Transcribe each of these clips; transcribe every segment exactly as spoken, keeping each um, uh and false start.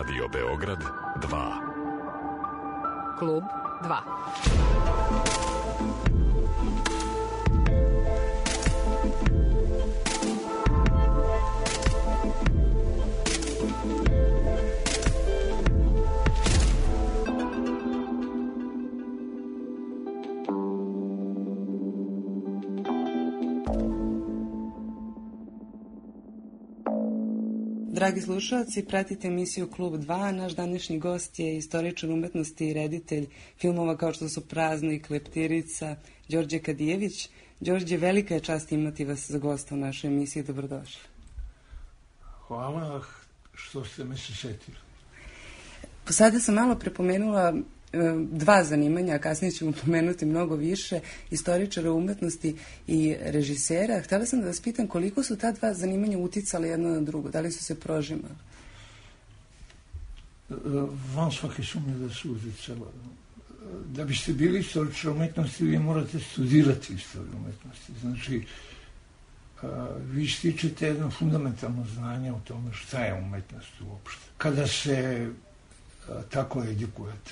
Radio Beograd dva. Klub dva. Dragi slušalci, pratite emisiju Klub dva. Naš današnji gost je istoričar umetnosti i reditelj filmova kao što su Praznik, Leptirica, Đorđe Kadijević. Đorđe, velika je čast imati vas za gosta u našoj emisiji. Dobrodošli. Hvala što ste me se setili. Sada sam malo prepomenula dva zanimanja, a kasnije ćemo pomenuti mnogo više, istoričara umetnosti i režisera. Htjela sam da vas pitam koliko su ta dva zanimanja uticali jedno na drugo, da li su se prožimali? Van svake sumnje da su uticala. Da biste bili istoričar umetnosti, vi morate studirati istoriju umetnosti. Znači, vi stičete jedno fundamentalno znanje o tome šta je umetnost uopšte. Kada se tako edukujete,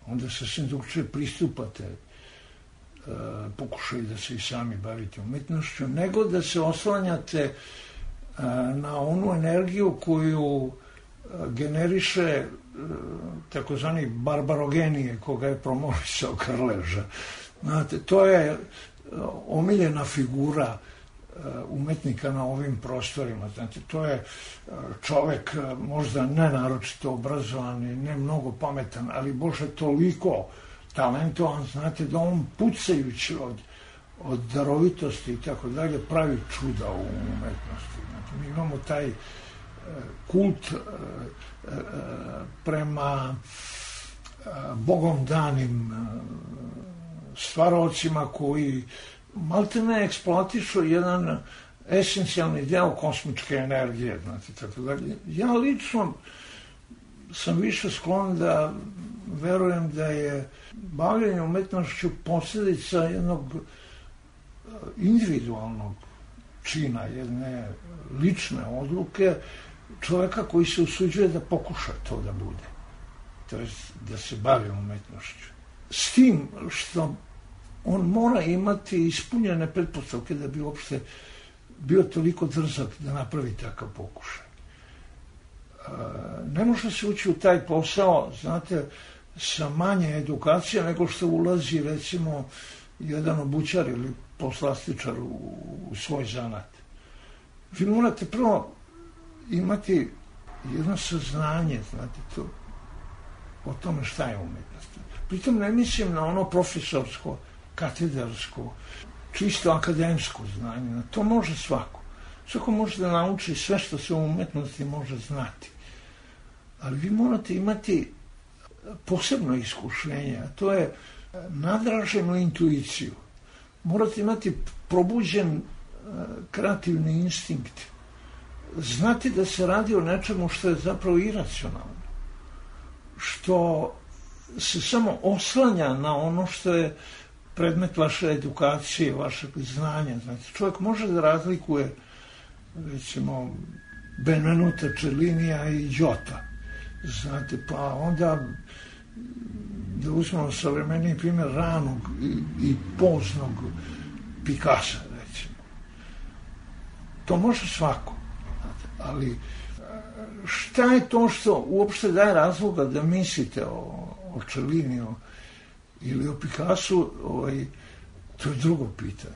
onda se sve drugčije pristupate uh, pokušaju da se i sami bavite umetnošću, nego da se oslanjate uh, na onu energiju koju uh, generiše uh, takozvani barbarogenije koga je promovisao Krleža. Znate, to je uh, omiljena figura uh, umetnika na ovim prostorima. Znate, to je uh, čovek uh, možda ne naročito obrazovan i ne mnogo pametan, ali Bože toliko talentovan, znate, da on pucajući od, od darovitosti i tako dalje pravi čuda u umetnosti. Znate, mi imamo taj uh, kult uh, uh, prema uh, bogom danim uh, stvarovcima koji malte ne eksploatišu jedan esencijalni deo kosmičke energije, znate, tako dalje. Ja lično sam više sklon da verujem da je bavljenje umetnošću posljedica jednog individualnog čina, jedne lične odluke čovjeka koji se usuđuje da pokuša to da bude. To je da se bavi umetnošću. S tim što on mora imati ispunjene pretpostavke da bi uopšte bio toliko drzak da napravi takav pokušaj. Ne može se ući u taj posao, znate, sa manje edukacije nego što ulazi, recimo, jedan obućar ili poslastičar u, u svoj zanat. Vi morate prvo imati jedno saznanje, znate, to, o tome šta je umetnost. Pritom ne mislim na ono profesorsko, katedarsko, čisto akademsko znanje. To može svako. Svako može da nauči sve što se u umetnosti može znati. Ali vi morate imati posebno iskušenje, a to je nadraženu intuiciju. Morate imati probuđen kreativni instinkt. Znati da se radi o nečemu što je zapravo iracionalno. Što se samo oslanja na ono što je predmet vaše edukacije, vašeg znanja. Znate, čovjek može da razlikuje, recimo, Benvenuta Cellinija i Giota. Znate, pa onda da uzmemo savremeniji primjer ranog i, i poznog Picassa, recimo. To može svako. Znate, ali šta je to što uopšte daje razloga da mislite o, o Celliniju ili o Picassu, ovaj, to je drugo pitanje.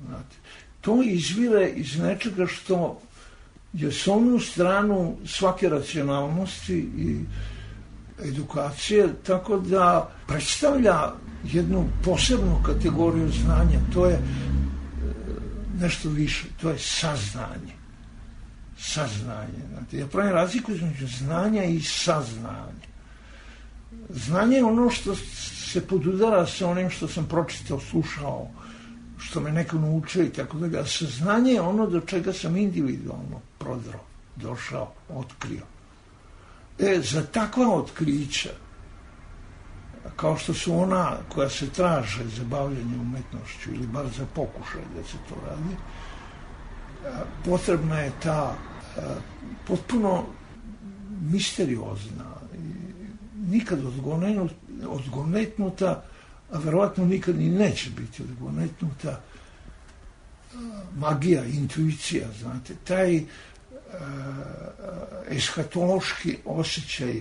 Znate, to izvire iz nečega što je s onu stranu svake racionalnosti i edukacije, tako da predstavlja jednu posebnu kategoriju znanja. To je nešto više, to je saznanje. Saznanje. Znate, ja pravim razliku između znanja i saznanja. Znanje je ono što se podudara sa onim što sam pročitao, slušao, što me neko naučio i tako da. A saznanje je ono do čega sam individualno prodrao, došao, otkrio. E, za takva otkrića, kao što su ona koja se traže za bavljanje umetnošću ili bar za pokušaj da se to radi, potrebna je ta potpuno misteriozna, nikad odgonetnuta, a verovatno nikad ni neće biti odgonetnuta magija, intuicija, znate, taj eskatološki osjećaj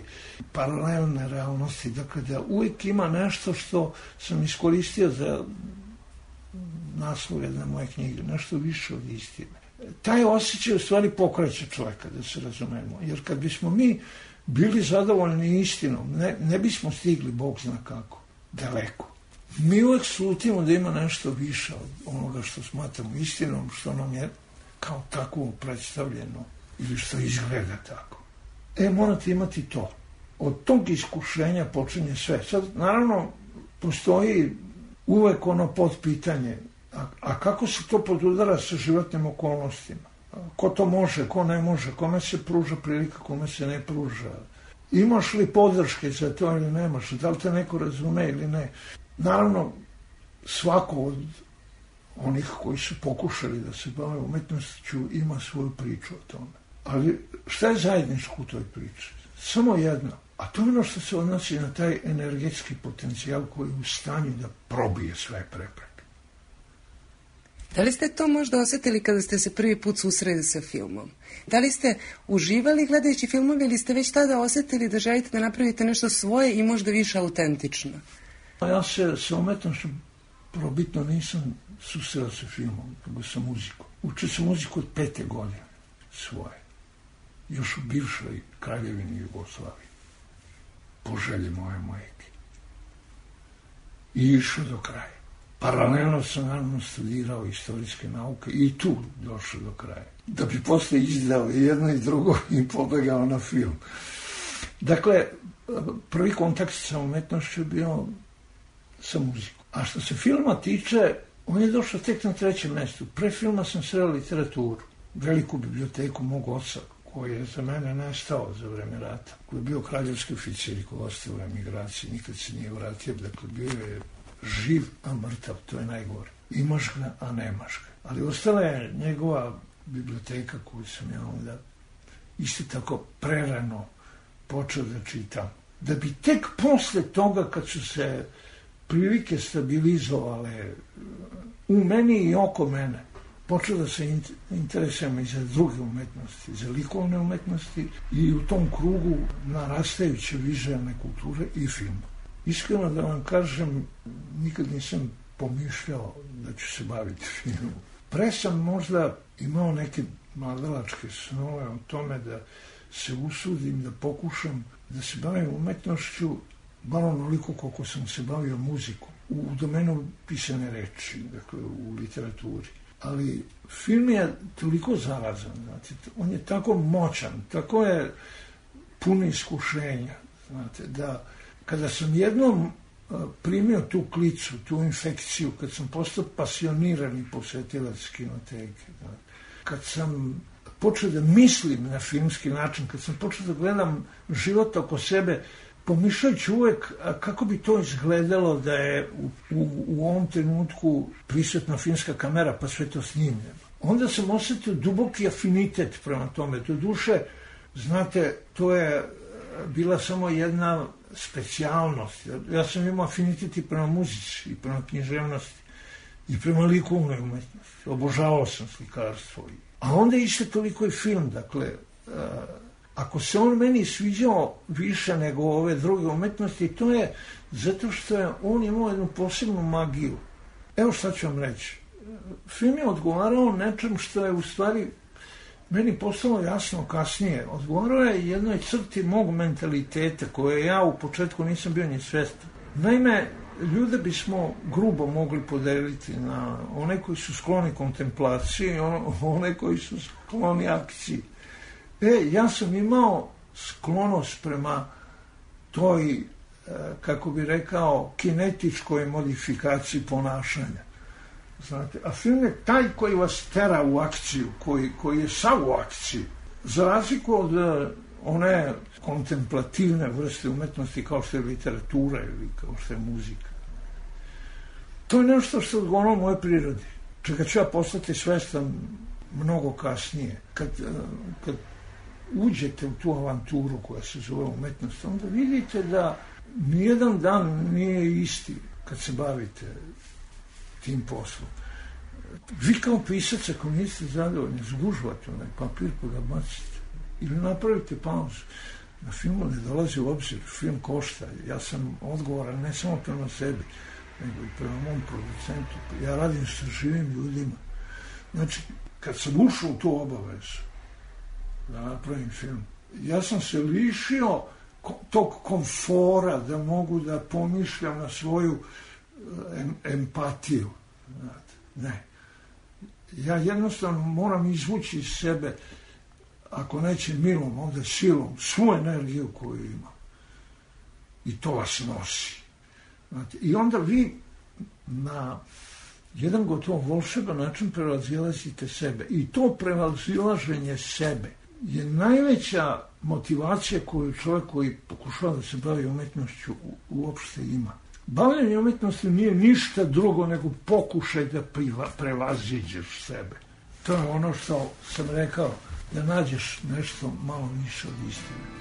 paralelne realnosti, dakle da uvijek ima nešto što sam iskoristio za naslov jedne moje knjige, nešto više od istine. Taj osjećaj u stvari pokreće čovjeka, da se razumemo, jer kad bismo mi bili zadovoljni istinom, ne, ne bismo stigli, Bog zna kako, daleko. Mi uvijek slutimo da ima nešto više od onoga što smatramo istinom, što nam je kao tako predstavljeno ili što izgleda tako. E, morate imati to. Od tog iskušenja počinje sve. Sad, naravno, postoji uvek ono podpitanje, a, a kako se to podudara sa životnim okolnostima? Ko to može, ko ne može, kome se pruža prilika, kome se ne pruža? Imaš li podrške za to ili nemaš? Da li te neko razume ili ne? Naravno, svako od onih koji su pokušali da se bave umetnošću ima svoju priču o tome. Ali šta je zajedničko u toj priči? Samo jedno. A to je ono što se odnosi na taj energetski potencijal koji je u stanju da probije sve prepreke. Da li ste to možda osjetili kada ste se prvi put susreli sa filmom? Da li ste uživali gledajući filmove ili ste već tada osjetili da želite da napravite nešto svoje i možda više autentično? Ja se sa umetnošću probitno nisam susreo sa filmom, nego sa muzikom. Učio sam muziku od pete godine svoje. Još u bivšoj kraljevini Jugoslaviji. Po želji moje majke. I išao do kraja. Paralelno sam naravno studirao istorijske nauke i tu došao do kraja. Da bi posle izdao jedno i drugo i pobegao na film. Dakle, prvi kontakt sa umetnošću je bio sa muzikom. A što se filma tiče, on je došao tek na trećem mjestu. Pre filma sam sreo literaturu, veliku biblioteku mog oca, koji je za mene nestao za vreme rata, koji je bio kraljevski oficir i koji ostao u emigraciji, nikad se nije vratio, dakle bio je živ, a mrtav, to je najgore. Imaš ga, a nemaš ga. Ali ostala je njegova biblioteka koju sam ja onda isto tako prerano počeo da čitam. Da bi tek posle toga, kad su se prilike stabilizovale u meni i oko mene, počeo da se interesujem i za druge umetnosti, za likovne umetnosti i u tom krugu narastajuće vizualne kulture i filma. Iskreno da vam kažem, nikad nisam pomišljao da ću se baviti filmom. Pre sam možda imao neke mladalačke snove o tome da se usudim, da pokušam da se bavim umetnošću, bar onoliko koliko sam se bavio muzikom, u domenu pisane reči, dakle u literaturi. Ali film je toliko zarazan, znate, on je tako moćan, tako je puno iskušenja, znate, da kada sam jednom primio tu klicu, tu infekciju, kad sam postao pasionirani posetilac kinoteke, znate, kad sam počeo da mislim na filmski način, kad sam počeo da gledam život oko sebe, pomišljajući uvek kako bi to izgledalo da je u, u, u ovom trenutku prisutna filmska kamera pa sve to snimljeno. Onda sam osjetio duboki afinitet prema tome. Do duše, znate, to je bila samo jedna specijalnost. Ja sam imao afinitet i prema muzici, i prema književnosti, i prema likovnoj umetnosti. Obožavao sam slikarstvo. A onda isto toliko i film, dakle, ako se on meni sviđao više nego ove druge umetnosti, to je zato što je on imao jednu posebnu magiju. Evo šta ću vam reći. Film je odgovarao nečem što je u stvari meni postalo jasno kasnije. Odgovarao je jednoj crti mog mentaliteta koje ja u početku nisam bio ni svestan. Naime, ljude bismo grubo mogli podeliti na one koji su skloni kontemplaciji i one koji su skloni akciji. E, ja sam imao sklonost prema toj, kako bi rekao, kinetičkoj modifikaciji ponašanja. Znate, a film je taj koji vas tera u akciju, koji, koji je sav u akciji. Za razliku od one kontemplativne vrste umetnosti kao što je literatura ili kao što je muzika. To je nešto što odgovorilo moje prirodi, čega ću ja postati svestan mnogo kasnije, kad, kad uđete u tu avanturu koja se zove umetnost, onda vidite da nijedan dan nije isti kad se bavite tim poslom. Vi kao pisac, ako niste zadovoljni, zgužvate onaj papir pa ga bacite ili napravite pauzu. Na filmu ne dolazi u obzir, film košta. Ja sam odgovoran ne samo prema sebi, nego i prema mom producentu. Ja radim sa živim ljudima. Znači, kad sam ušao u tu obavezu da napravim film, ja sam se lišio tog komfora da mogu da pomišljam na svoju em, empatiju. Ne. Ja jednostavno moram izvući iz sebe, ako neće milom, onda silom, svu energiju koju imam. I to vas nosi. Znate, i onda vi na jedan gotovo volšeban način prevazilazite sebe. I to prevazilaženje sebe je najveća motivacija koju čovjek koji pokušava da se bavi umetnošću uopšte ima. Bavljenje umetnosti nije ništa drugo nego pokušaj da prevaziđeš sebe. To je ono što sam rekao, da nađeš nešto malo više od istine.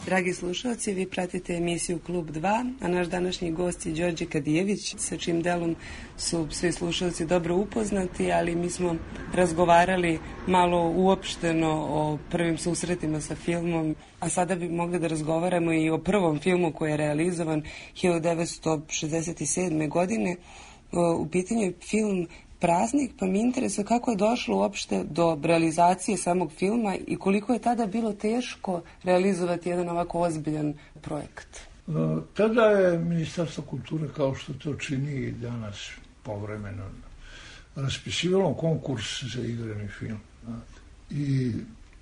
Dragi slušalci, vi pratite emisiju Klub dva, a naš današnji gost je Đorđe Kadijević, sa čim delom su svi slušalci dobro upoznati, ali mi smo razgovarali malo uopšteno o prvim susretima sa filmom, a sada bi mogli da razgovaramo i o prvom filmu koji je realizovan hiljadu devetsto šezdeset sedme. godine. U pitanju je film Praznik, pa mi interesuje kako je došlo uopšte do realizacije samog filma i koliko je tada bilo teško realizovati jedan ovako ozbiljan projekat. Tada je Ministarstvo kulture, kao što to čini i danas povremeno, raspisivalo konkurs za igrani film. I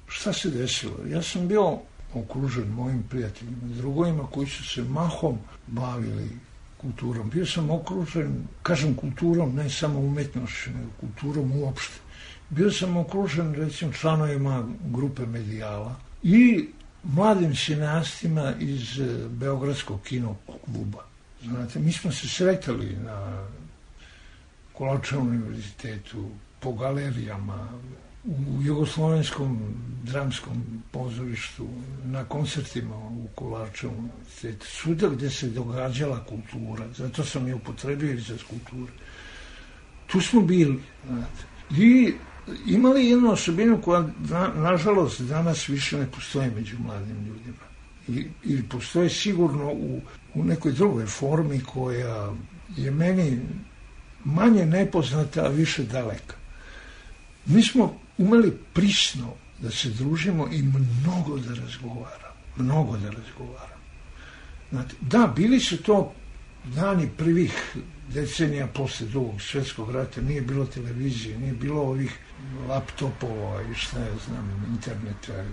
šta se desilo? Ja sam bio okružen mojim prijateljima, drugovima koji su se mahom bavili kulturom. Bio sam okružen, kažem kulturom, ne samo umetnošću, nego kulturom uopšte. Bio sam okružen, recimo, članovima grupe Medijala i mladim cineastima iz Beogradskog kino kluba. Znate, mi smo se sretali na Kolarčevom univerzitetu, po galerijama, u Jugoslovenskom dramskom pozorištu, na koncertima u Kolarčevom univerzitetu, svuda gde se događala kultura, zato sam je upotrebio izraz kulture. Tu smo bili, znate, i imali jednu osobinu koja, na, nažalost, danas više ne postoji među mladim ljudima. I, ili postoji sigurno u, u nekoj drugoj formi koja je meni manje nepoznata, a više daleka. Mi smo umeli prisno da se družimo i mnogo da razgovaramo. Mnogo da razgovaramo. Znate, da, bili su to dani prvih decenija posle drugog svjetskog rata, nije bilo televizije, nije bilo ovih laptopova i šta je, znam, interneta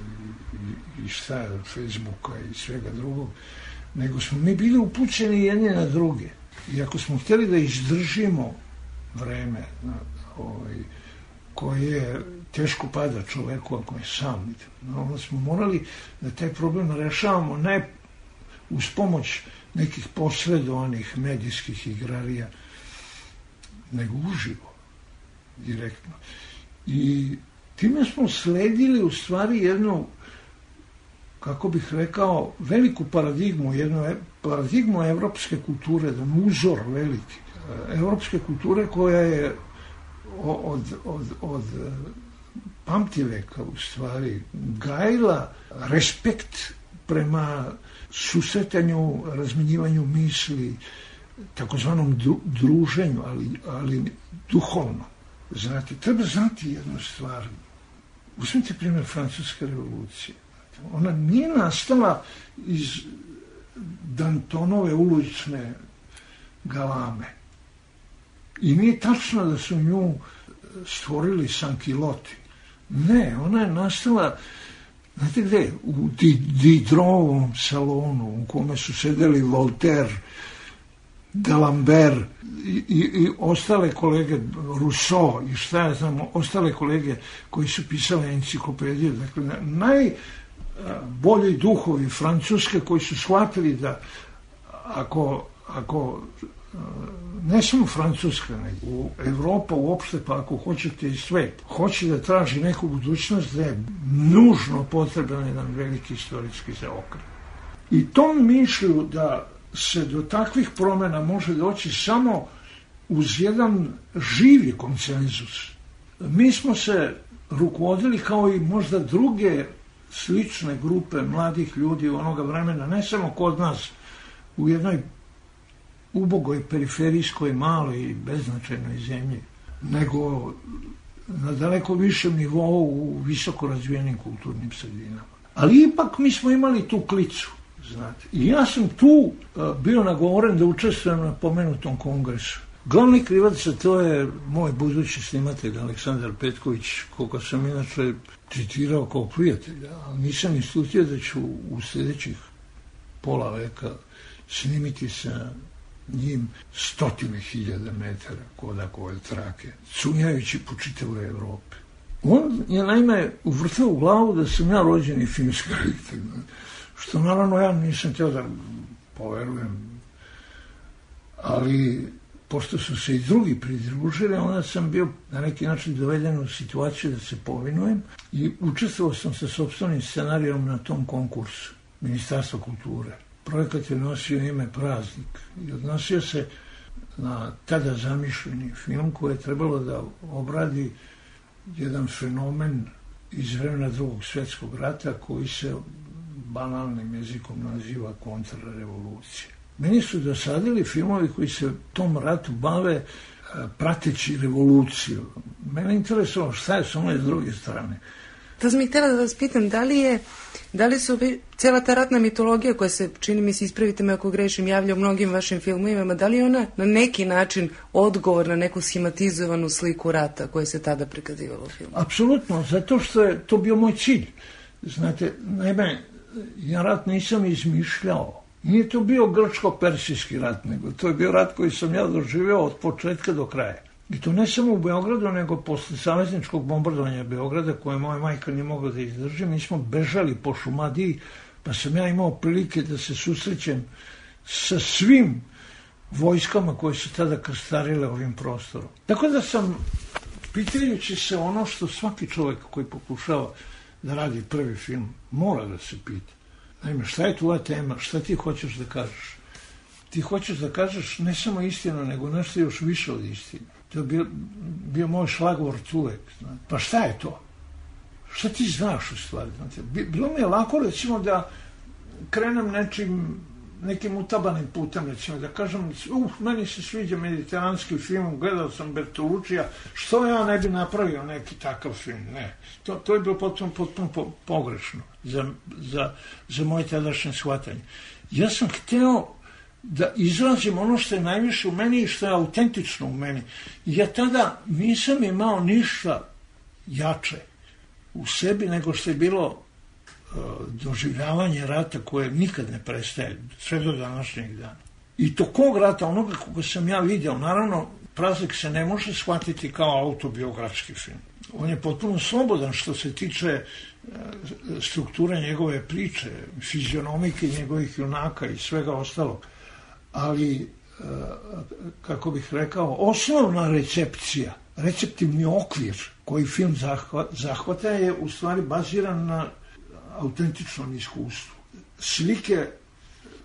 i, i šta je, Facebooka i svega drugog, nego smo mi bili upućeni jedni na druge. I ako smo htjeli da izdržimo vreme, ovaj, koje teško pada čoveku ako je sam, onda smo morali da taj problem rešavamo ne uz pomoć nekih posredovanih medijskih igrarija, nego uživo, direktno. I time smo sledili u stvari jednu, kako bih rekao, veliku paradigmu, jednu paradigmu evropske kulture, jedan uzor veliki, evropske kulture koja je od, od, od pamtiveka u stvari gajila respekt prema susretanju, razmenjivanju misli, takozvanom druženju, ali, ali duhovno. Znate, treba znati jednu stvar. Uzmite primjer Francuske revolucije. Ona nije nastala iz Dantonove ulične galame. I nije tačno da su nju stvorili sankiloti. Ne, ona je nastala, znate gde, u Diderovom salonu u kome su sedeli Voltaire, D'Alembert i, i, i ostale kolege, Rousseau i šta ja znam, ostale kolege koji su pisali enciklopedije. Dakle, najbolji duhovi Francuske koji su shvatili da ako, ako ne samo Francuska, nego Evropa uopšte, pa ako hoćete i svet, hoće da traži neku budućnost, da je nužno potreban jedan veliki istorijski zaokret. I tom mišlju da se do takvih promjena može doći samo uz jedan živi konsenzus. Mi smo se rukovodili kao i možda druge slične grupe mladih ljudi u onoga vremena, ne samo kod nas u jednoj ubogoj, periferijskoj, maloj i beznačajnoj zemlji, nego na daleko višem nivou u visoko razvijenim kulturnim sredinama. Ali ipak mi smo imali tu klicu, znate. I ja sam tu uh, bio nagovoren da učestvujem na pomenutom kongresu. Glavni krivac za to je moj budući snimatelj Aleksandar Petković, koga sam inače citirao kao prijatelja, ali nisam islutio da ću u sljedećih pola veka snimiti sa njim stotine hiljada metara Kodakove trake, cunjajući po čitavoj Evropi. On je naime uvrtao u glavu da sam ja rođeni filmski reditelj, što naravno ja nisam htio da poverujem, ali pošto su se i drugi pridružili, onda sam bio na neki način doveden u situaciju da se povinujem i učestvovao sam sa sopstvenim scenarijom na tom konkursu Ministarstva kulture. Projekat je nosio ime Praznik i odnosio se na tada zamišljeni film koji je trebalo da obradi jedan fenomen iz vremena Drugog svjetskog rata koji se banalnim jezikom naziva kontrarevolucija. Meni su dosadili filmovi koji se tom ratu bave prateći revoluciju. Mene interesovalo šta je s one s druge strane. To sam ih htjela da vas pitam, da li je, da li su cijela ta ratna mitologija koja se, čini mi se, ispravite me ako grešim, javlja u mnogim vašim filmovima, da li je ona na neki način odgovor na neku schematizovanu sliku rata koje se tada prikazivalo u filmu? Apsolutno, zato što je to bio moj cilj. Znate, naime, ja rat nisam izmišljao. Nije to bio grčko-persijski rat, nego to je bio rat koji sam ja doživio od početka do kraja. I to ne samo u Beogradu, nego posle savezničkog bombardovanja Beograda, koje moja majka nije mogla da izdrži. Mi smo bežali po Šumadiji, pa sam ja imao prilike da se susrećem sa svim vojskama koje su tada krstarile ovim prostorom. Tako da sam, pitajući se ono što svaki čovjek koji pokušava da radi prvi film, mora da se pita. Naime, šta je tvoja tema, šta ti hoćeš da kažeš? Ti hoćeš da kažeš ne samo istinu, nego nešto još više od istine. To je bio, bio moj šlagvort uvek. Znate. Pa šta je to? Šta ti znaš u stvari? Znate? Bilo mi je lako, recimo, da krenem nečim, nekim utabanim putem, recimo, da kažem, uh, meni se sviđa mediteranski film, gledao sam Bertolučija, što ja ne bi napravio neki takav film? Ne. To, to je bilo potpuno, potpuno po, pogrešno za, za, za moje tadašnje shvatanje. Ja sam hteo da izrazim ono što je najviše u meni i što je autentično u meni. Ja tada nisam imao ništa jače u sebi nego što je bilo uh, doživljavanje rata koje nikad ne prestaje, sve do današnjeg dana. I to kog rata, onoga koga sam ja vidio, naravno, Praznik se ne može shvatiti kao autobiografski film. On je potpuno slobodan što se tiče uh, strukture njegove priče, fizionomike njegovih junaka i svega ostalog. Ali, kako bih rekao, osnovna recepcija, receptivni okvir koji film zahvata je u stvari baziran na autentičnom iskustvu. Slike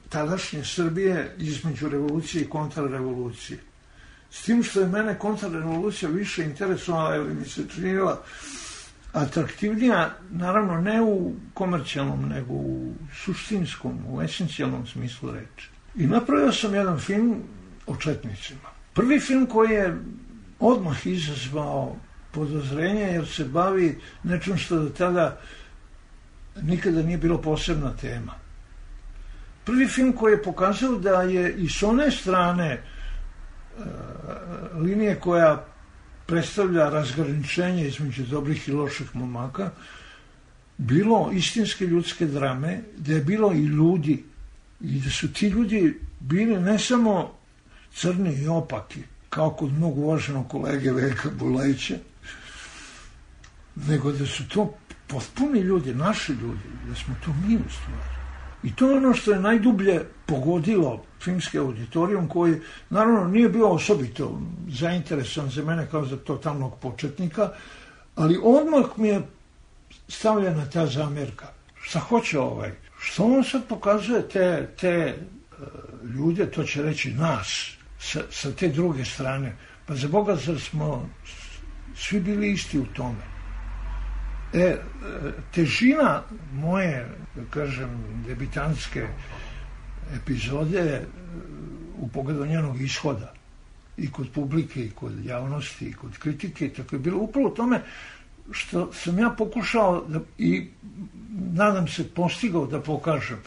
tadašnje Srbije između revolucije i kontrarevolucije. S tim što je mene kontrarevolucija više interesovala ili mi se činila atraktivnija, naravno ne u komercijalnom, nego u suštinskom, u esencijalnom smislu reči. I napravio sam jedan film o četnicima. Prvi film koji je odmah izazvao podozrenje jer se bavi nečim što do tada nikada nije bilo posebna tema. Prvi film koji je pokazao da je i s one strane e, linije koja predstavlja razgraničenje između dobrih i loših momaka bilo istinske ljudske drame, da je bilo i ljudi i da su ti ljudi bili ne samo crni i opaki, kao kod mnogo uvaženog kolege Veljka Bulajića, nego da su to potpuni ljudi, naši ljudi, da smo to mi u stvari. I to je ono što je najdublje pogodilo filmski auditorijum, koji naravno nije bio osobito zainteresovan za mene kao za totalnog početnika, ali odmah mi je stavljena ta zamjerka. Šta hoće ovaj? Što on sad pokazuje te, te uh, ljude, to će reći nas, sa, sa te druge strane. Pa za Boga, zar smo svi bili isti u tome? E, težina moje, da kažem, debitantske epizode u pogledu njenog ishoda i kod publike, i kod javnosti, i kod kritike, tako je bilo upravo u tome što sam ja pokušao da, i nadam se postigao da pokažem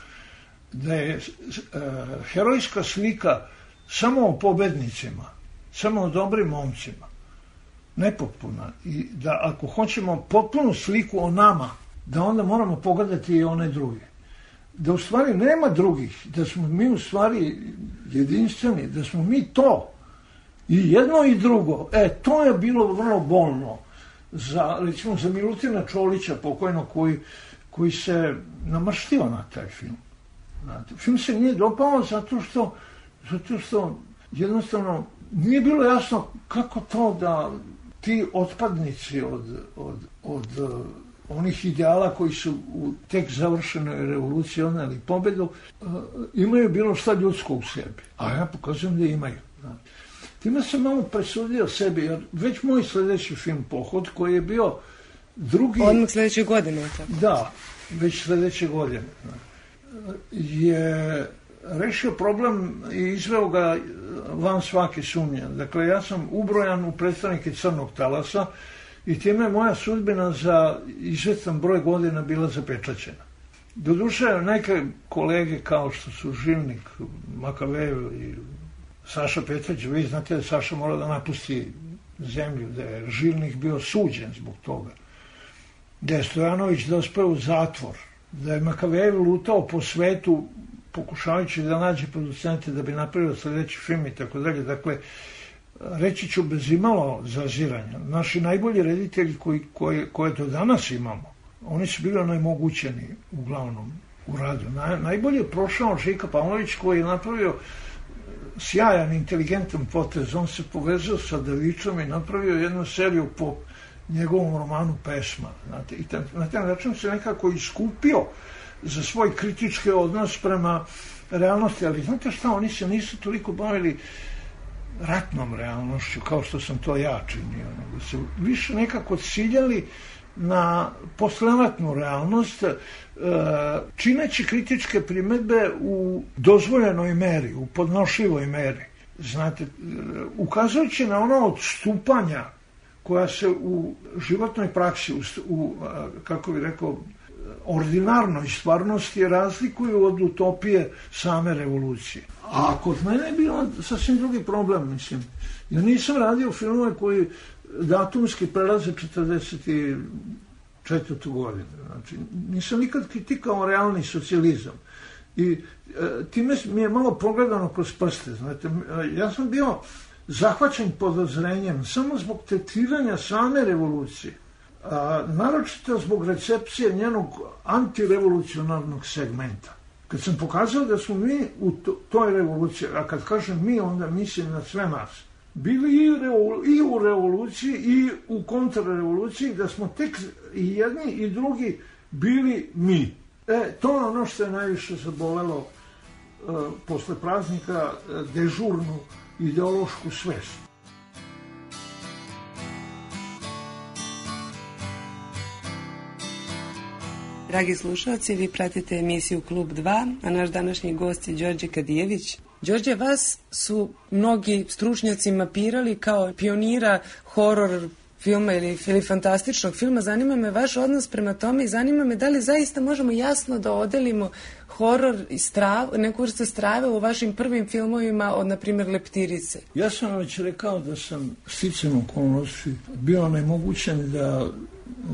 da je uh, herojska slika samo o pobednicima, samo o dobrim momcima, nepotpuna, i da ako hoćemo potpunu sliku o nama, da onda moramo pogledati i one druge. Da u stvari nema drugih, da smo mi u stvari jedinstveni, da smo mi to, i jedno i drugo. E, to je bilo vrlo bolno za, recimo, za Milutina Čolića, pokojno, koji, koji se namrštio na taj film. Znate, film se nije dopao zato što, zato što jednostavno nije bilo jasno kako to da ti otpadnici od, od, od uh, onih ideala koji su u tek završenoj revoluciji odneli pobedu, uh, imaju bilo šta ljudsko u sebi. A ja pokazujem da imaju. Znate. Time sam malo presudio sebi, jer već moj sljedeći film Pohod, koji je bio drugi... Odmah sljedeće godine. Tako. Da, već sljedeće godine. Je rešio problem i izveo ga van svake sumnje. Dakle, ja sam ubrojan u predstavnike Crnog talasa i time je moja sudbina za izvestan broj godina bila zapečaćena. Doduše, neke kolege kao što su Živnik, Makavejev i Saša Petrović, vi znate da je Saša morao da napusti zemlju, da je Živnik bio suđen zbog toga, da je Stojanović dospeo u zatvor, da je Makavejev lutao po svetu pokušavajući da nađe producente da bi napravio sljedeći film i tako dalje. Dakle, reći ću bez imalo zaziranja. Naši najbolji reditelji koji, koje, koje do danas imamo, oni su bili onemogućeni uglavnom u radu. Na, najbolje je prošao Žika Pavlović, koji je napravio sjajan, inteligentan potez. On se povezao sa Davičom i napravio jednu seriju po njegovom romanu Pesma. Znate, i tam, na taj način se nekako iskupio za svoj kritički odnos prema realnosti, ali znate šta, oni se nisu toliko bavili ratnom realnošću kao što sam to ja činio, nego se više nekako ciljali na posleratnu realnost, čineći kritičke primedbe u dozvoljenoj meri, u podnošljivoj meri. Znate, ukazujući na ono odstupanja koja se u životnoj praksi, u, u kako bih rekao, ordinarnoj stvarnosti razlikuju od utopije same revolucije. A kod mene je bilo sasvim drugi problem, mislim. Ja nisam radio filmove koji datumski prelaze četrdeset četvrtu godinu. Znači, nisam nikad kritikao realni socijalizam. I e, time mi je malo pogledano kroz prste. Znate, ja sam bio zahvaćen podozrenjem samo zbog tretiranja same revolucije. A, naročito zbog recepcije njenog antirevolucionarnog segmenta. Kad sam pokazao da smo mi u to, toj revoluciji, a kad kažem mi, onda mislim na sve nas, bili i, revo, i u revoluciji i u kontrrevoluciji, da smo tek i jedni i drugi bili mi. E, to je ono što je najviše zabolelo uh, posle praznika uh, dežurnu ideološku svest. Dragi slušalci, vi pratite emisiju Klub dva, a naš današnji gost je Đorđe Kadijević. Đorđe, vas su mnogi stručnjaci mapirali kao pionira horor filma ili, ili fantastičnog filma. Zanima me vaš odnos prema tome i zanima me da li zaista možemo jasno da odelimo horor i strav, neku vrstu strave u vašim prvim filmovima od, na primjer, Leptirice. Ja sam već rekao da sam sticajem okolnosti bio nemogućen da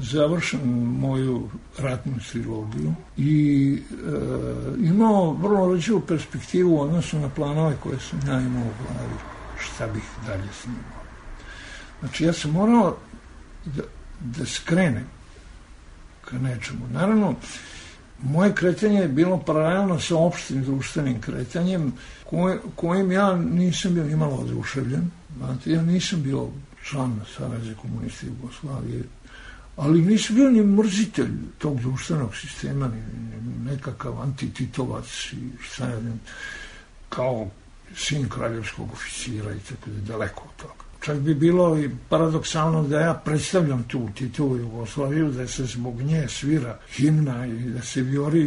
završim moju ratnu trilogiju i e, imao vrlo rođivu perspektivu u odnosu na planove koje sam ja imao u glavi, šta bih dalje snimao. Znači, ja sam morao da, da skrenem ka nečemu. Naravno, moje kretanje je bilo paralelno sa opštim društvenim kretanjem koje, kojim ja nisam bio nimalo oduševljen. Znate, ja nisam bio član Saveza komunista Jugoslavije, ali nisam bio ni mrzitelj tog društvenog sistema, ni, ni nekakav antititovac i šta ja ne, kao sin kraljevskog oficira i tako da, daleko od toga. Čak bi bilo i paradoksalno da ja predstavljam tu Titovu Jugoslaviju, da se zbog nje svira himna i da se vijori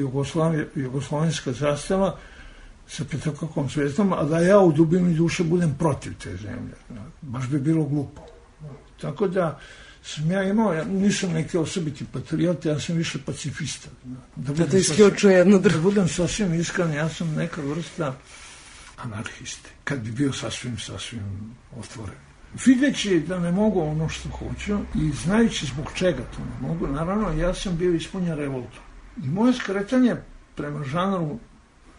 jugoslovenska zastava sa petokrakom zvezdom, a da ja u dubini duše budem protiv te zemlje. Baš bi bilo glupo. Tako da sam ja imao, ja nisam neki osobiti patriot, ja sam više pacifista. Da, da to isključuje jedno drugo. Da budem sasvim iskren, ja sam neka vrsta anarhiste, kad bi bio sasvim, sasvim otvoren. Videći da ne mogu ono što hoću i znajući zbog čega to ne mogu, naravno ja sam bio ispunjen revoltom. I moje skretanje prema žanru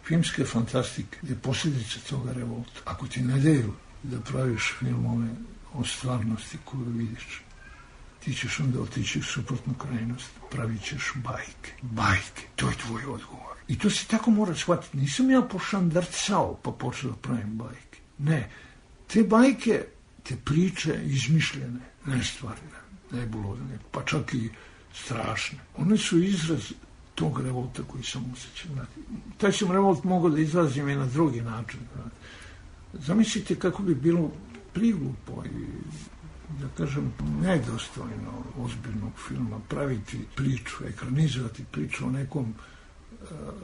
filmske fantastike je posljedica toga revolta. Ako ti ne daju da praviš filmove o stvarnosti koju vidiš, ti ćeš onda otići u suprotnu krajnost, pravit ćeš bajke. Bajke, to je tvoj odgovor. I to se tako mora shvatiti. Nisam ja pošandrcao pa počeo da pravim bajke. Ne, te bajke, te priče izmišljene, nestvarne, nebulozne, pa čak i strašne. One su izraz tog revolta koji sam osjećao. Taj sam revolt mogao da izrazim i na drugi način. Zamislite kako bi bilo priglupo i, da kažem, nedostojno ozbiljnog filma praviti priču, ekranizovati priču o nekom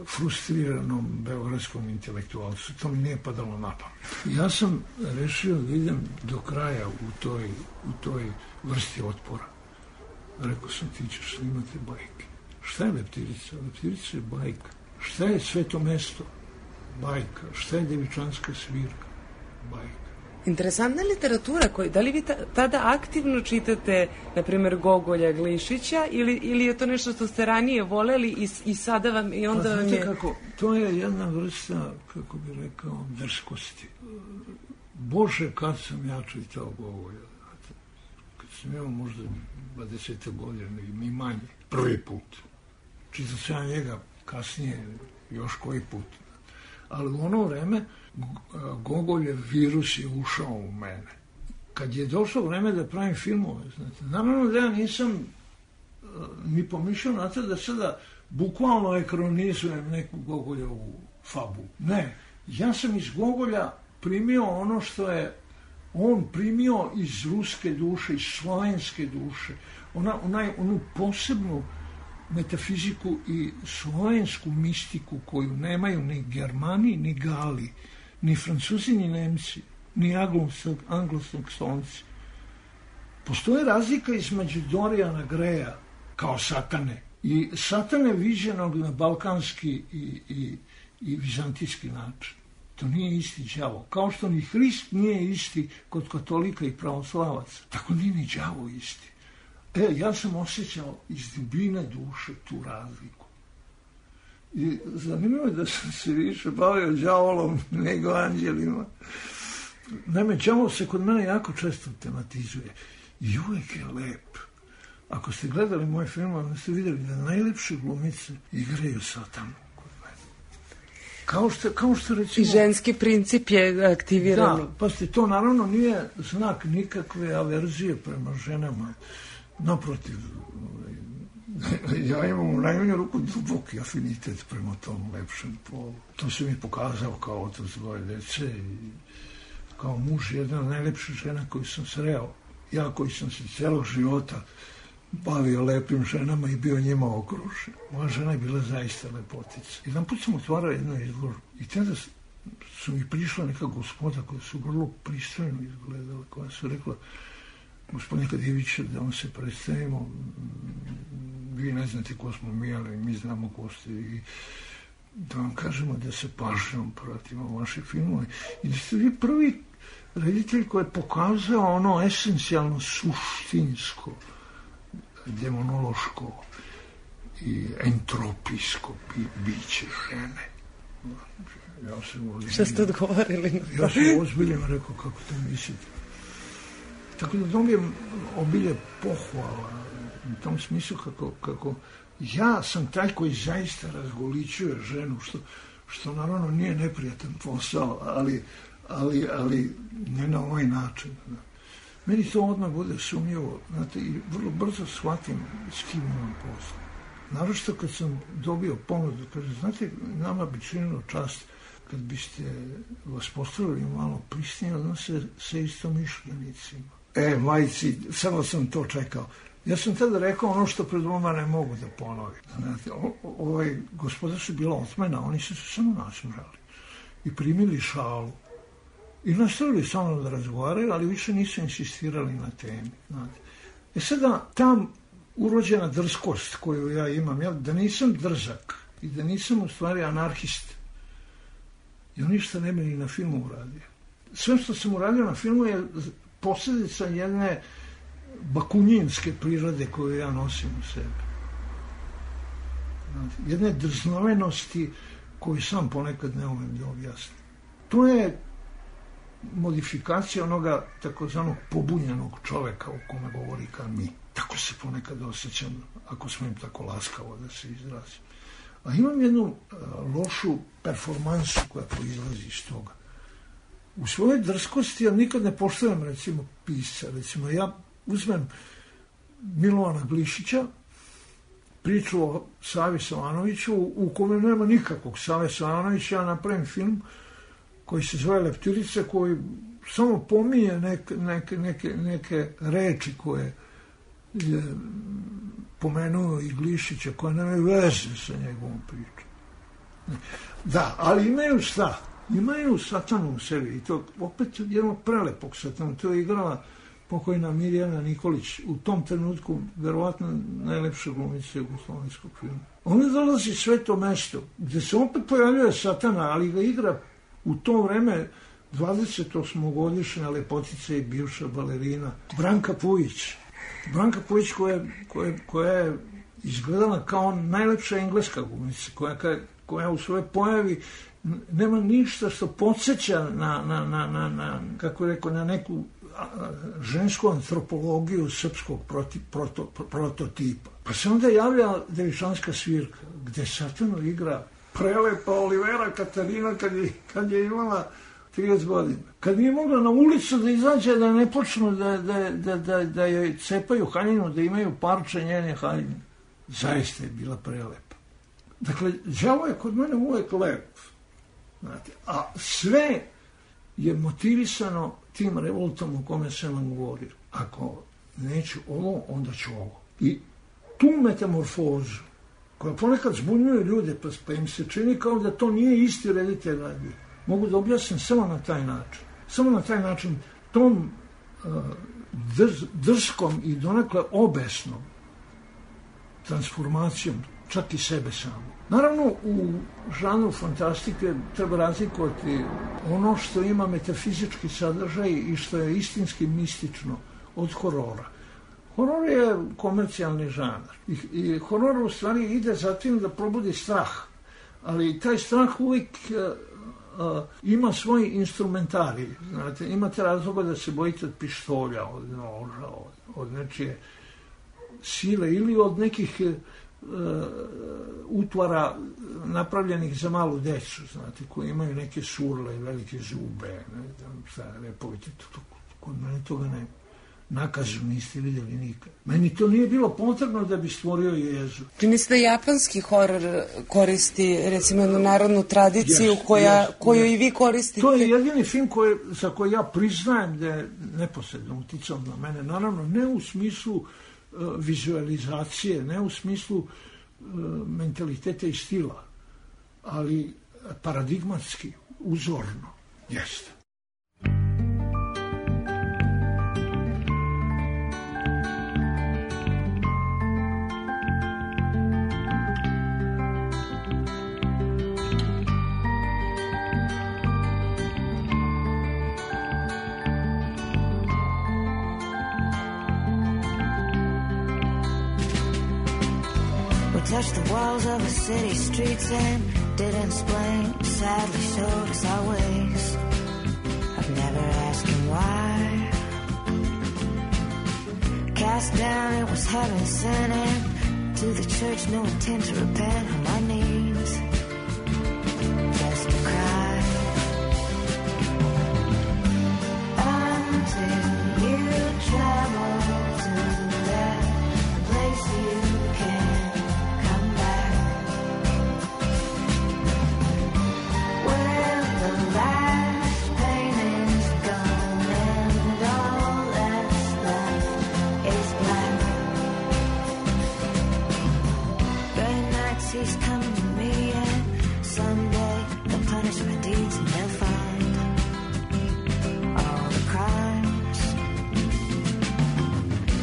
frustriranom beogradskom intelektualcu. To mi nije padalo na pamet. Ja sam rešio da idem do kraja u toj, u toj vrsti otpora. Rekao sam, ti ćeš snimati bajke. Šta je Leptirica? Leptirica je bajka. Šta je Sveto mesto? Bajka. Šta je Devičanska svirka? Bajka. Interesantna literatura, koju, da li vi ta, tada aktivno čitate, na primjer, Gogolja, Glišića, ili, ili je to nešto što ste ranije voleli i, i sada vam, i onda pa, vam je... Kako, to je jedna vrsta, kako bi rekao, drskosti. Bože, kad sam ja čitao Gogolja, kad sam imao možda dvadeset godina i manje, prvi put. Čitao sam ja njega kasnije, još koji put. Ali u ono vreme Gogoljev virus je ušao u mene. Kad je došlo vreme da pravim filmove, znate, naravno da ja nisam uh, ni pomišljao na to da sada bukvalno ekranizujem neku Gogoljevu fabu. Ne, ja sam iz Gogolja primio ono što je on primio iz ruske duše, iz slovenske duše, ona, onaj, onu posebnu metafiziku i slovensku mistiku koju nemaju ni Germani, ni Gali, ni Francuzi, ni Nemci, ni anglosaksonci. Postoje razlika između Dorijana Greja kao satane i satane viđenog na balkanski i, i, i vizantijski način. To nije isti đavo. Kao što ni Hrist nije isti kod katolika i pravoslavaca, tako nije ni đavo isti. E, ja sam osjećao iz dubine duše tu razliku. I zanimljivo je da sam se više bavio đavolom nego anđelima. Naime, đavol se kod mene jako često tematizuje. I uvek je lep. Ako ste gledali moje filmove, onda ste vidjeli da najlepše glumice igraju satanu kod mene. Kao što, kao što recimo... I ženski princip je aktiviran. Da, pa ste, to naravno nije znak nikakve averzije prema ženama. Naprotiv, ja imam u najmanju ruku duboki afinitet prema tom lepšem polu. To se mi pokazao kao otac dvoje dece i kao muž jedna od najlepših žena koju sam sreo. Ja koji sam se celog života bavio lepim ženama i bio njima okružen. Moja žena je bila zaista lepotica. Jedan put sam otvarao jednu izložbu i tada su mi prišla neka gospoda koja su vrlo pristojno izgledala, koja su rekla: gospodine Kadijeviće, da vam se predstavimo, vi ne znate ko smo mi, ali mi znamo ko ste, i da vam kažemo da se pažnjom pratimo vaše filmove i da ste vi prvi reditelj koji je pokazao ono esencijalno suštinsko, demonološko i entropijsko biće žene. Ja sam Šta ste odgovorili? Ja sam ozbiljno rekao kako to mislite. Tako da dobijem obilje pohvala u tom smislu kako, kako ja sam taj koji zaista razgolićuje ženu, što, što naravno nije neprijatan posao, ali, ali, ali ne na ovaj način. Meni to odmah bude sumnjivo, znate, i vrlo brzo shvatim s kim imam posao. Naročito kad sam dobio ponudu, kaže, znate, nama bi činilo čast kad biste vas postavili malo prisnije odnose sa istomišljenicima. E, majci, samo sam to čekao. Ja sam tada rekao ono što pred vama ne mogu da ponovim. Znate, o, ovaj, gospoda su bila otmena, oni su se samo nasmrali i primili šalu. I nastavili sa mnom da razgovaraju, ali više nisu insistirali na temi. Znate. E sada, ta urođena drskost koju ja imam, ja, da nisam drzak i da nisam u stvari anarhist, ja ništa ne bi ni na filmu uradio. Sve što sam uradio na filmu je posljedica jedne bakunjinske prirode koju ja nosim u sebi. Znate, jedne drznovenosti koju sam ponekad ne umem da objasnim. To je modifikacija onoga takozvanog pobunjenog čoveka o kome govori Camus. Tako se ponekad osjećam, ako smem tako laskavo da se izrazim. A imam jednu uh, lošu performansu koja proizlazi iz toga. U svojoj drskosti ja nikad ne poštujem, recimo, pisca. Recimo, ja uzmem Milovana Glišića, priču o Savi Savanoviću, u kome nema nikakvog Save Savanovića, ja napravim film koji se zove Leptirica, koji samo pominje neke, neke, neke, neke reči koje je pomenuo i Glišića, koje nemaju veze sa njegovom pričom. Da, ali imaju šta? Imaju satanu u sebi i to opet jednog prelepog satana. To je igrala pokojna Mirjana Nikolić, u tom trenutku verovatno najlepša glumica jugoslovenskog filma. Ona dolazi sveto mesto gde se opet pojavljuje satana, ali ga igra u to vreme dvadesetosmogodišnja lepotica i bivša balerina Branka Pujić. Branka Pujić koja, koja, koja je izgledala kao najlepša engleska glumica, koja, koja u svojoj pojavi nema ništa što podsjeća na, na, na, na, na kako je rekao, na neku žensku antropologiju srpskog proti, proto, prototipa. Pa se onda javlja Devičanska svirka, gde satanu igra prelepa Olivera Katarina kad je, kad je imala trideset godina. Kad nije mogla na ulicu da izađe, da ne počnu da, da, da, da, da joj cepaju haljinu, da imaju parče njene haljine. Zaista je bila prelepa. Dakle, đavo je kod mene uvek lep. Znate, a sve je motivisano tim revoltom o kome sam vam govorio. Ako neću ovo, onda ću ovo. I tu metamorfozu, koja ponekad zbunjuje ljude, pa, pa im se čini kao da to nije isti reditelj radio, mogu da objasnim samo na taj način. Samo na taj način, tom uh, drz, drskom i donekle obesnom transformacijom, čak i sebe samo. Naravno, u žanru fantastike treba razlikovati ono što ima metafizički sadržaj i što je istinski mistično od horora. Horor je komercijalni žanar i, i horor u stvari ide za tim da probudi strah, ali taj strah uvijek uh, uh, ima svoj instrumentarij. Znate, imate razloga da se bojite od pištolja, od noža, od, od nečije sile ili od nekih uh, utvara napravljenih za malu decu, znate, koji imaju neke surle i velike zube, ne znam šta, repovite, kod mene toga nema. Nakazu niste vidjeli nikad. Meni to nije bilo potrebno da bi stvorio jezu. Čini se da japanski horor koristi, recimo, jednu narodnu tradiciju yes, koja, yes, koju yes. i vi koristite. To je jedini film koje, za koji ja priznajem da je neposredno uticao na mene. Naravno, ne u smislu uh, vizualizacije, ne u smislu uh, mentaliteta i stila, ali paradigmatski, uzorno, jeste. Touched the walls of the city streets and didn't explain, sadly showed us our ways. I've never asked him why. Cast down, it was heaven sent, and to the church, no intent to repent on my knees, just to cry until you travel to that place you can't come back, where the last pain is gone and all that's left is black. Gray nights he's coming to me, and someday they'll punish my deeds and they'll find all the crimes.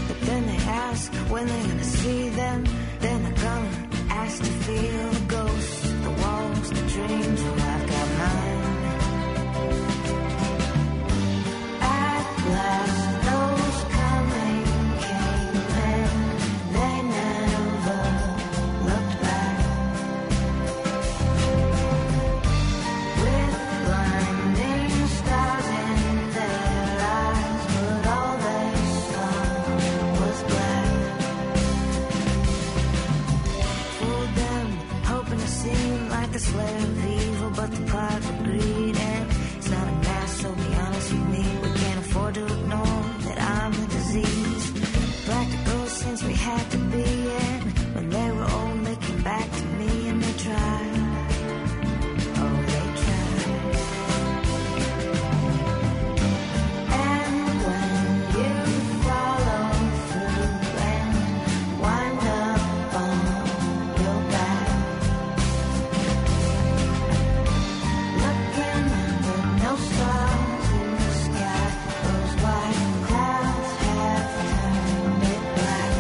But then they ask when they're gonna see them, then they're gonna ask to feel the ghosts, the walls, the dreams. Well, I've got mine. At last those coming came and they never looked back. With blinding stars in their eyes, but all they saw was black. Fooled them, hoping to seem like the slayer of evil, but the pride of greed, and it's not a mask, so be honest with me. We can't afford to ignore that I'm the disease. Practical since we had to be, and when they were old, they came back to me and they tried. Oh, they tried. And when you follow through and wind up on your back, looking but no stars in the sky, those white clouds have turned it black.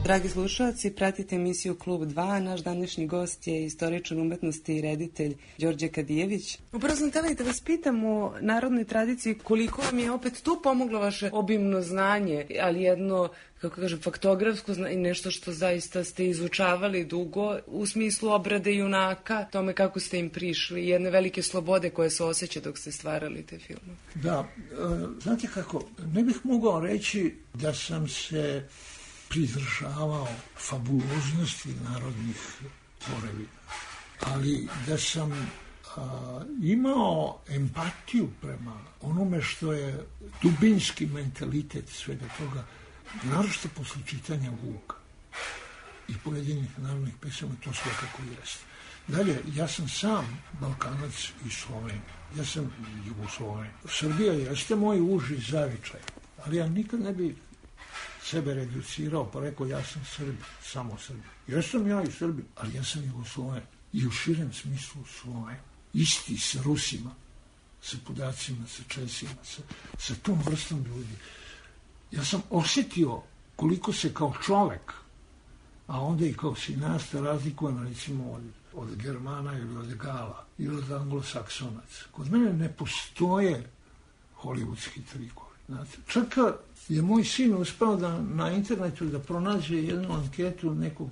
Dragi slušalci, pratite emisiju Klub dva. Naš današnji gost je istoričar umetnosti i reditelj Đorđe Kadijević. Upravo sam htjela i da vas pitam o narodnoj tradiciji, koliko vam je opet tu pomoglo vaše obimno znanje, ali jedno, kako kažem, faktografsko znanje, nešto što zaista ste izučavali dugo u smislu obrade junaka, tome kako ste im prišli, jedne velike slobode koje se osjeća dok ste stvarali te filme. Da, e, znate kako, ne bih mogao reći da sam se pridržavao fabuloznosti narodnih tvorevina, ali da sam a, imao empatiju prema onome što je dubinski mentalitet svega toga, naročito posle čitanja Vuka i pojedinih narodnih pesama, to svakako jeste. Dalje, ja sam sam Balkanac i Sloven, ja sam Jugosloven. Srbija jeste moj uži zavičaj, ali ja nikad ne bi sebe reducirao pa rekao ja sam Srbin, samo Srbin. Jesam ja i Srbin, ali ja sam Jugosloven i u širem smislu Sloven. Isti sa Rusima, sa Podacima, sa Česima, sa, sa tom vrstom ljudi. Ja sam osjetio koliko se kao čovek, a onda i kao sinasta razlikujem recimo od, od Germana ili od Gala ili od Anglosaksonaca. Kod mene ne postoje hollywoodski trikovi. Znate, čak je moj sin uspeo da na internetu da pronađe jednu anketu nekog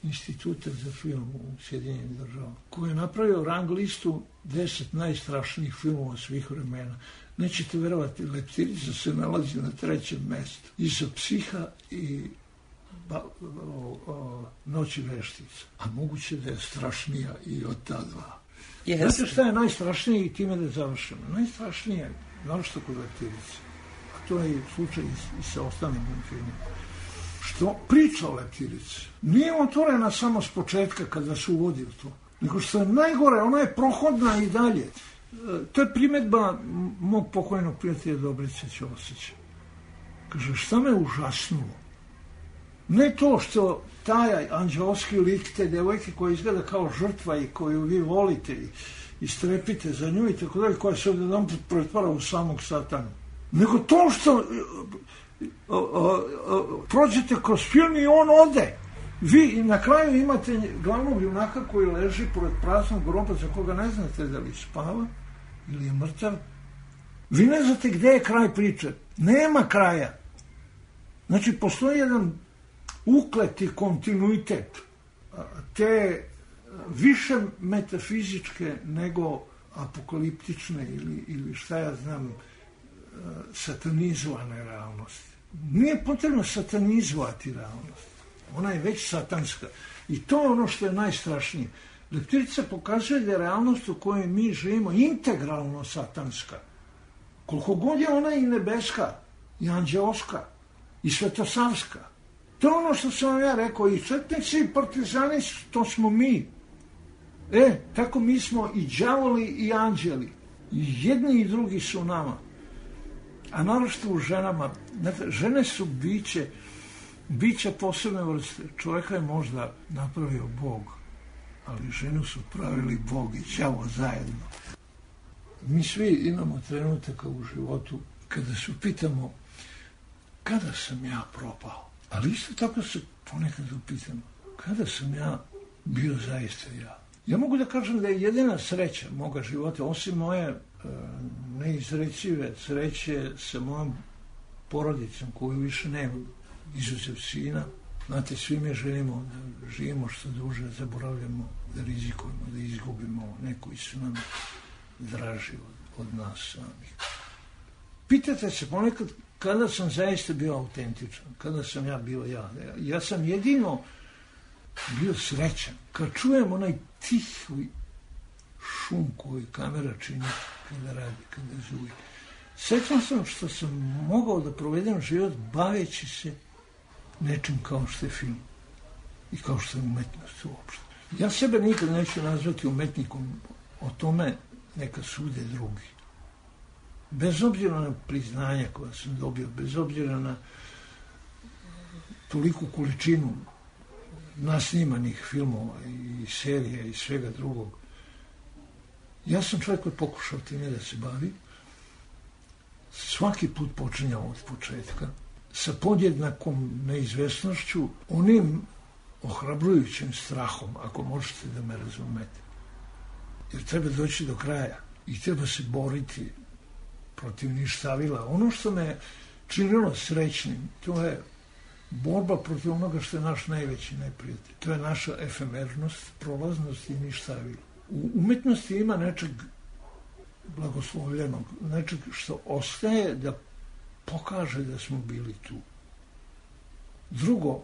instituta za film u Sjedinjenim državama, koji je napravio rang listu deset najstrašnijih filmova svih vremena. Nećete verovati, Leptirica se nalazi na trećem mestu. Iza Psiha i ba, o, o, Noći veštica. A moguće da je strašnija i od ta dva. Yes. Znate šta je najstrašnije i time da završimo? Najstrašnije je, naročito kod Leptirice, a to je slučaj i, i sa ostalim filmima, što priča o Leptirici nije otvorena samo s početka kada se uvodi u to, nego što je najgore, ona je prohodna i dalje. To je primjedba mog pokojnog prijatelja Dobrice Ćosića. Kaže, šta me užasnulo? Ne to što taj anđelski lik te devojke koja izgleda kao žrtva i koju vi volite i, i strepite za nju i tako dalje, koja se odjedan put pretvara u samog satana. Nego to što a, a, a, prođete kroz film i on ode. Vi na kraju imate glavnog junaka koji leži pored praznog groba za koga ne znate da li spava ili je mrtav. Vi ne znate gde je kraj priče. Nema kraja. Znači, postoji jedan ukleti kontinuitet te više metafizičke nego apokaliptične ili, ili šta ja znam, satanizovane realnosti. Nije potrebno satanizovati realnost. Ona je već satanska. I to je ono što je najstrašnije. Leptirica pokazuje da je realnost u kojoj mi živimo integralno satanska. Koliko god je ona i nebeska, i anđeoska, i svetosavska. To je ono što sam vam ja rekao, i četnici i partizani, to smo mi. E, tako mi smo i đavoli i anđeli. I jedni i drugi su nama. A naročito u ženama. Žene su biće, biće posebne vrste. Čovjeka je možda napravio Bog, ali ženu su pravili Bog i đavo zajedno. Mi svi imamo trenutaka u životu kada se pitamo kada sam ja propao. Ali isto tako se ponekad upitamo kada sam ja bio zaista ja. Ja mogu da kažem da je jedina sreća moga života, osim moje e, neizrečive sreće sa mojom porodicom koju više nema, izuzev sina. Znate, svi mi želimo da živimo što duže, zaboravljamo, da rizikujemo, da izgubimo neko koji su nam draži od, od nas samih. Pitate se ponekad kada sam zaista bio autentičan, kada sam ja bio ja. Ja sam jedino bio srećan kad čujem onaj tihi šum koji kamera čini kada radi, kada zuji. Srećan sam što sam mogao da provedem život baveći se nečim kao što je film i kao što je umetnost uopšte. Ja sebe nikad neću nazvati umetnikom, o tome neka sude drugi. Bez obzira na priznanja koja sam dobio, bez obzira na toliku količinu nasnimanih filmova i serija i svega drugog, ja sam čovjek koji pokušao time da se bavi. Svaki put počinjao od početka, sa podjednakom neizvesnošću, onim ohrabrujućim strahom, ako možete da me razumete. Jer treba doći do kraja i treba se boriti protiv ništavila. Ono što me činilo srećnim, to je borba protiv onoga što je naš najveći neprijatelj. To je naša efemernost, prolaznost i ništavila. U umetnosti ima nečeg blagoslovljenog, nečeg što ostaje da pokaže da smo bili tu. Drugo,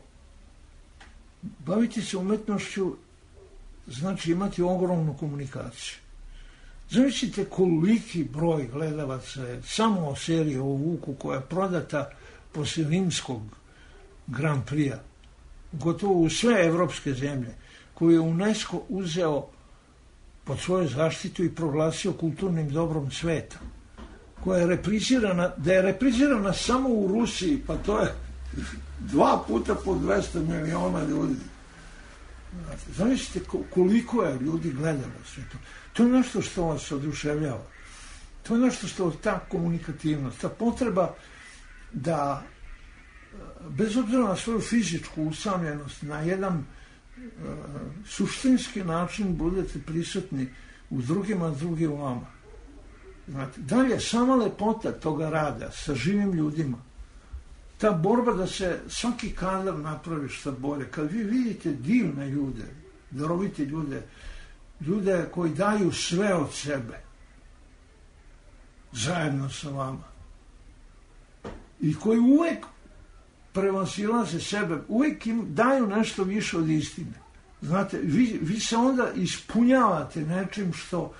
baviti se umetnošću znači imati ogromnu komunikaciju. Zamislite koliki broj gledalaca je samo o seriji o Vuku koja je prodata posle rimskog Grand Prix-a, gotovo u sve evropske zemlje, koju je UNESCO uzeo pod svoju zaštitu i proglasio kulturnim dobrom sveta, koja je reprizirana, da je reprizirana samo u Rusiji, pa to je dva puta po dvesta miliona ljudi. Zamislite koliko je ljudi gledalo sve to. To je nešto što vas oduševljava. To je nešto što ta komunikativnost, ta potreba da bez obzira na svoju fizičku usamljenost, na jedan uh, suštinski način budete prisutni u drugima, drugi u vama. Znate, dalje, sama lepota toga rada sa živim ljudima, ta borba da se svaki kadar napravi što bolje. Kad vi vidite divne ljude, darovite ljude, ljude koji daju sve od sebe zajedno sa vama i koji uvek prevazilaze sebe, uvijek im daju nešto više od istine. Znate, vi, vi se onda ispunjavate nečim što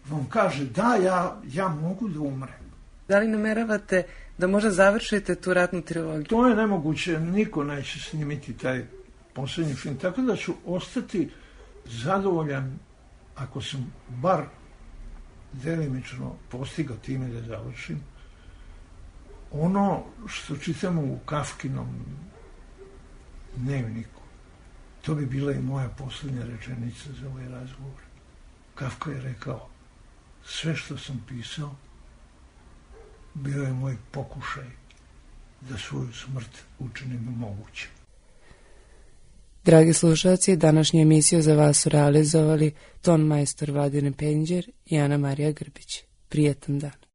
vam kaže da, ja, ja mogu da umrem. Da li nameravate da možda završite tu ratnu trilogiju? To je nemoguće, niko neće snimiti taj poslednji film, tako da ću ostati zadovoljan ako sam bar delimično postigao time da završim. ono što čitamo u Kafkinom dnevniku, to bi bila i moja posljednja rečenica za ovaj razgovor. Kafka je rekao, sve što sam pisao bio je moj pokušaj da svoju smrt učinim moguće. Dragi slušalci, današnju emisiju za vas su realizovali ton majstor Vladimir Penđer i Ana Marija Grbić. Prijetan dan.